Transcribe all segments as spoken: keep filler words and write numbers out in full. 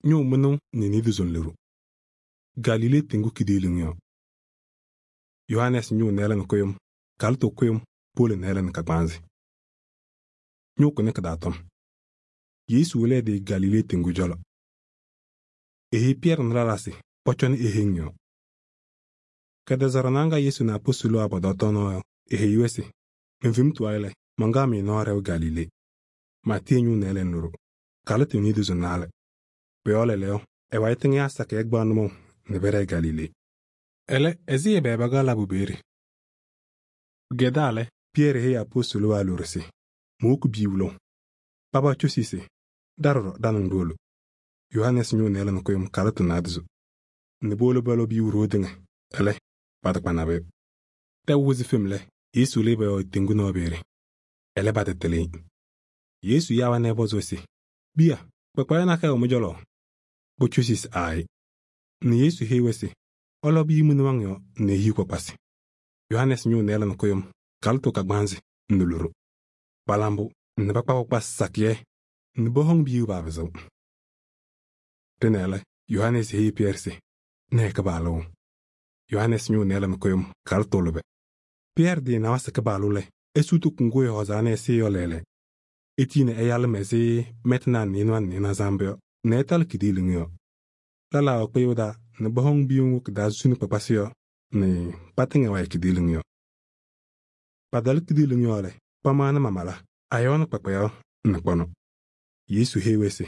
ñʋʋ mɩnʋʋ nɛ niidu zʋnlɩɖʋ. Galilee tɩŋgʋ kidiiliŋ yɔ. Yohanɛɛsɩ ñʋʋ nɩɩlɛ nɛ kʋyʋm, kalɩtʋ kʋyʋm powolo nɩɩlɛ nɛ kagbaanzɩ. Ñʋʋ kʋnɩ kɩ-taa tɔm. Yesu wɩlɩ ɛ-tɩ Galilee tɩŋgʋ cɔlɔ. Eheyi Pɩyɛɛrɩ nɛ lɛlaa se pɔcɔnɩ eheŋ yɔɔ. Kɛtɛzaɣ ŋga Yesu nɛ apostolo wabʋ pɔtɔɔ tɔɔnaɣ yɔ, eheyi-wɛ se: “Men-fem tʋwayɩ lɛ, mankaɣ-mɩ nɔɔ ɖɛʋ Galilee. Maatɩɩ ñʋʋ nɩɩlɛ nɛ loɖo, kalɩtʋ niidu zʋnnaɣlɛ. Pʋ-yɔɔ lɛɛlɛɛyɔ, ɛ-wayɩ tɩŋɩyaa sakɩyɛ kpaɣ nʋmɔʋ nɛ pɛɖɛɛ Galilee.” Ɛlɛ, ɛzɩ ɛbɛ pakaɣ labʋ peeye? Pɩkɛdaa lɛ, Pɩyɛɛrɩ heyi apostolo waa loɖo se: “Mowoki biu lɔʋ.” Paba cosi se: “Ɖa ɖɔɖɔ ɖa-nɩŋ ɖiwolo.” Yohanɛɛsɩ ñʋʋ nɩɩlɛ nɛ kʋyʋm kalɩtʋ naadozo nɛ powolo pɔlɔ biu ɖoo tɩŋa. Ɛlɛ, patakpa nabʋyʋ. Tɛʋ wɩzɩ fem lɛ, Yesu lɩɩ pɔ-yɔɔ teŋgu nɔɔ peeye. Ɛlɛ, patɩtɩlɩ-ɩ. Yesu yaa-wɛ nɛ ɛpɔzɩ-wɛ se: “Biya, kpakpaɣa nakɛyɛ wɛ mɩ-cɔlɔ?” Pocosi se: “Aayɩ.” Nɛ Yesu heyi-wɛ se: “Ɔlɔ biyu mɩ-nɩwaŋ yɔɔ nɛ ehiɣ kpakpasɩ.” Yohanɛɛsɩ ñʋʋ nɩɩlɛ nɛ kʋyʋm kalɩtʋ kagbaanzɩ nɛ loɖo. Pala mbʋ nɛ pakpa kpakpasɩ sakɩyɛ nɛ pɔhɔŋ biyu paapɩzɩɣ. Dɩnɛ lɛ, Yohanɛɛsɩ heyi Pɩyɛɛrɩ se: “Nɛɛ Kɩpaɣlʋ.” Yohanɛɛsɩ ñʋʋ nɩɩlɛ nɛ kʋyʋm kalɩtʋ lʋbɛ. Pɩyɛɛrɩ tɩɩnawa se Kɩpaɣlʋ lɛ, esutu kuŋgʋ ɛhɔɔzaa nɛ ɛsɩ yɔ lɛɛlɛɛ. Etiyi nɛ ɛyalɩ ɛzɩ mɛtɩnaa nɩɩnʋwa nɛ nɩɩnaza mbʋ yɔ nɛ ɛtalɩ kidiiliŋ yɔɔ. Lɛlaa wɛ kpɩyʋʋ taa nɛ pɔhɔŋ biyu ŋgʋ kɩ-taa suni kpakpasɩ yɔ nɛ patɩŋa wayɩ kidiiliŋ yɔɔ. Patalɩ kidiiliŋ yɔɔ lɛ, pamaɣnɩ mamala, ayɔɔnɩ kpakpayaɣ nɛ kpɔnɔ. Yesu heyi-wɛ se: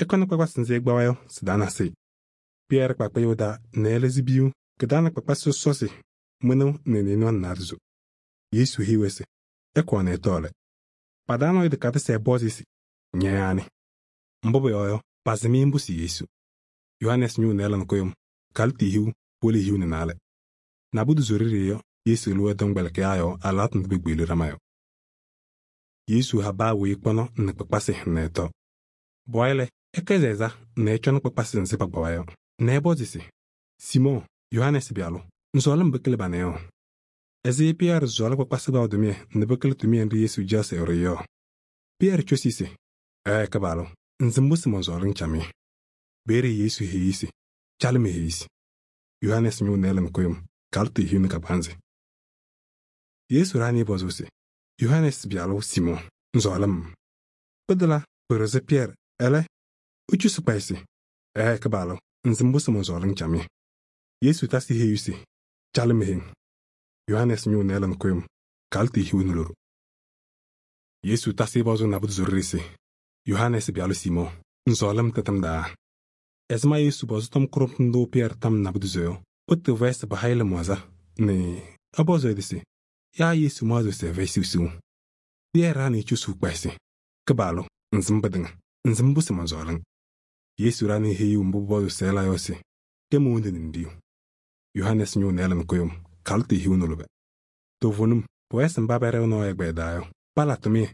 “Ɩkɔnɩ kpakpasɩ nzɩ ɩkpawa yɔ sɩ-taa nasɩ.” Pɩyɛɛrɩ kpa kpɩyʋʋ taa nɛ ɛlɩzɩ biyu kɩ-taa nɛ kpakpasɩ sɔsɔsɩ mɩnʋʋ nɛ nɩɩnʋwa nɛ naadozo. Yesu heyi-wɛ se: “Ɩkɔɔ nɛ ɩtɔɔ lɛ.” Pa-taa nɔɔyʋ tɩkadɩsɩ ɛpɔzɩ se: “Ña yaanɩ?” Mbʋ pʋyɔɔ yɔ, pasɩm-ɩ mbʋ sɩ Yesu. Yohanɛɛsɩ ñʋʋ nɩɩlɛ nɛ kʋyʋm kalɩtʋ hiu wolo hiu nɛ naalɛ. Nabʋdʋ ɖeɖe yɔ, Yesu lɩ ɛ-tɔmkpɛlɩkɩyaa yɔɔ alɩwaatʋ ndʋ pekpeɣli ɖama yɔ. Yesu ha paa weyi kpɔnɔ nɛ kpakpasɩ nɛ ɛtɔ. Pʋwayɩ lɛ, ɛkɛzɩ ɛza nɛ ɛcɔnɩ kpakpasɩ nzɩ pakpawa yɔ nɛ ɛpɔzɩ se: “Siimɔɔ, Yohanɛɛsɩ pɩyalʋ, ŋsɔɔlɩ-m pɩkɩlɩ banɛ yɔ?” Ɛzɩ Pɩyɛɛrɩ sɔɔlɩ kpakpasɩ kpaɣʋ tʋmɩyɛ nɛ pɩkɩlɩ tʋmɩyɛ nɖɩ Yesu caɣ se ɛɖʋ yɔ? Pɩyɛɛrɩ cosi se: “Ɛɛ Kɩpaɣlʋ, ŋsɩ mbʋ sɩ mɔnsɔɔlɩ-ŋ camɩyɛ.” Peeye Yesu heyi se: “Calɩ me-heyisi.” Yohanɛɛsɩ ñʋʋ nɩɩlɛ nɛ kʋyʋm kalɩtʋ hiu nɛ kagbaanzɩ. Yesu ɖaɣnɩ pɔzʋʋ se: “Yohanɛɛsɩ pɩyalʋ Siimɔɔ, ŋsɔɔlɩ-m?” Pɩtɛlɛ pɩɖɩɣzɩ Pɩyɛɛrɩ. Ɛlɛ, ecosi kpayɩ se: “Ɛɛ Kɩpaɣlʋ, ŋsɩ mbʋ sɩ mɔnsɔɔlɩ-ŋ camɩyɛ.” Yesu tasɩ heyu se: “Calɩ me-heŋ.” Yohanɛɛsɩ ñʋʋ nɩɩlɛ nɛ kʋyʋm kalɩtʋ hiu nɛ loɖo. Yesu tasɩ pɔzʋʋ nabʋdʋ ɖeɖe se: “Yohanɛɛsɩ pɩyalʋ Siimɔɔ, ŋsɔɔlɩ-m tɩtɩŋa taa?” Ɛzɩma Yesu pɔzɩ tɔm kʋɖʋmtʋ ndʋ Pɩyɛɛrɩ tam nabʋdʋzɔ yɔ, pɩtɩɣ-wɛ se pɩha-ɩ lɩmaɣza nɛ ɛpɔzɩ ɛ-tɩ se: “Yaa Yesu maɣzɩɣ se ɛfɛyɩ siɣsiɣ?” Pɩyɛɛrɩ ɖaɣnɩ ecosuu kpayɩ se: “Kɩpaɣlʋ, ŋsɩm pɩtɩŋa, ŋsɩ mbʋ sɩ mɔnsɔɔlɩ-ŋ?” Yesu ɖaɣnɩ heyiɣ mbʋ pʋpɔzʋʋ se ɛla yɔ se: “Kɛ mo-wondu nɛ ŋɖiyu.” Yohanɛɛsɩ ñʋʋ nɩɩlɛ nɛ kʋyʋm kalɩtʋ hiu nɛ lʋbɛ. Toovenim, pʋwɛɛ se mba pɛɖɛɣ nɔɔ ɛgbɛyɛ daa yɔ, pala tʋmɩyɛ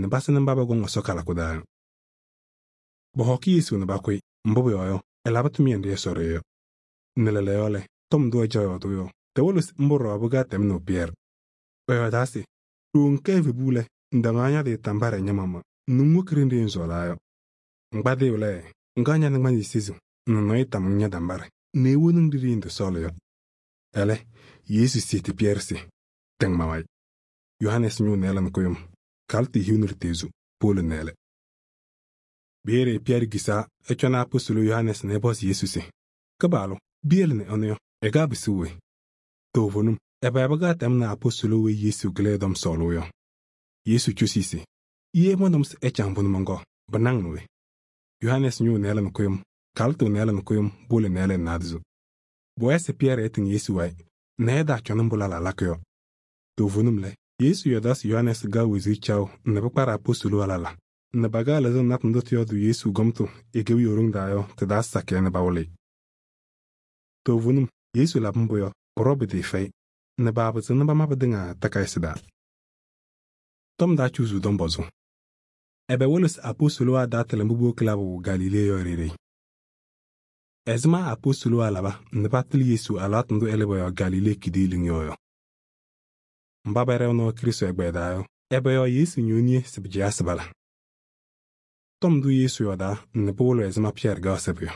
nɛ pasɩnɩ mba pɔkɔŋ Ɛsɔ kalɩkʋ daa yɔ. Pɔhɔkɩ Yesu nɛ pakʋ-ɩ, mbʋ pʋyɔɔ yɔ, ɛlabɩ tʋmɩyɛ nɖɩ Ɛsɔ ɖʋ yɔ. Nɛ lɛɛlɛɛyɔ lɛ, tɔm ndʋ ɛcaɣ yɔɔdʋʋ yɔ, tɩwɩlɩ se mbʋ ɖɔɖɔ pɩkɛɣ tɛmnɩɣ Pɩyɛɛrɩ. Ɛyɔɔdaa se: “Ɖooo ŋkɛ evebu lɛ, ŋtaŋaɣ ña-tɩ tambarɩ ña-maɣmaɣ nɛ ŋwoki ɖenɖe ŋsɔɔlaa yɔ. Ŋkpadɩyʋ lɛ, ŋkaɣ ña-nɩŋgbanzɩ sezuu nɛ nɔɔyʋ tam-ŋ ña-tambarɩ nɛ ewoni-ŋ ɖi ɖiyi ndɩsɔɔlɩ yɔ.” Ɛlɛ, Yesu seti Pɩyɛɛrɩ se: “Tɛŋ ma-wayɩ.” Yohanɛɛsɩ ñʋʋ nɩɩlɛ nɛ kʋyʋm kalɩtʋ hiu nɛ lutezu powolo nɛɛlɛ. Peeye Pɩyɛɛrɩ kisaa ɛcɔnɩ apostolo Yohanɛɛsɩ nɛ ɛpɔzɩ Yesu se: “Kɩpaɣlʋ, biyele nɛ ɛnʋ yɔ, ɛkaɣ pɩsɩɣ we?” Toovenim, ɛbɛ pɩkɛɣ tɛmnɩ apostolo weyi Yesu kɩlɩ ɛ-tɔm sɔɔlʋʋ yɔ? Yesu cosi se: “Ye mɔntɔm se ɛcaŋ pʋnɛ mɔnkɔɔ, pɩnaŋ we?” Yohanɛɛsɩ ñʋʋ nɩɩlɛ nɛ kʋyʋm kalɩtʋ nɩɩlɛ nɛ kʋyʋm powolo nɛɛlɛ nɛ naadozo. Pʋwɛɛ se Pɩyɛɛrɩ ɛtɩŋ Yesu wayɩ nɛ ɛtaacɔnɩ mbʋ lɛlaa lakɩ yɔ. Toovenim lɛ, Yesu yɔɔdaa se Yohanɛɛsɩ kaɣ wezuu caɣʋ nɛ pɩkparɩ apostolo alala nɛ pakaɣ lɩzɩŋ natʋ ndʋ tɩyɔɔdʋ Yesu gɔmtʋ e-kewiyaɣ ɖoŋ taa yɔ tɩ-taa sakɩyɛ nɛ pawɩlɩ-ɩ. Toovenim, Yesu labɩ mbʋ yɔ, pʋɖɔ pɩtɩɩfɛyɩ nɛ paapɩzɩɣ nɛ pama pɩtɩŋa takayɩsɩ taa. Tɔm taa cuzuu tɔm pɔzʋ. Ɛbɛ wɩlɩ se apostolowa taa tɩlɩ mbʋ powoki labʋ Galilee yɔ ɖeɖe? Ɛzɩma apostolowa laba nɛ patɩlɩ Yesu alɩwaatʋ ndʋ ɛlɩ pɔ-yɔɔ Galilee kidiiliŋ yɔɔ yɔ? Mba pɛɖɛɣ nɔɔ Krɩstʋ ɛgbɛyɛ daa yɔ, ɛbɛ yɔɔ Yesu ñooniye se pɩcɛyɩsɩ bala? tɔm ndʋ Yesu yɔɔdaa nɛ pɩwɩlɩ ɛzɩma Pɩyɛɛrɩ kaɣ sɛbʋ yɔ.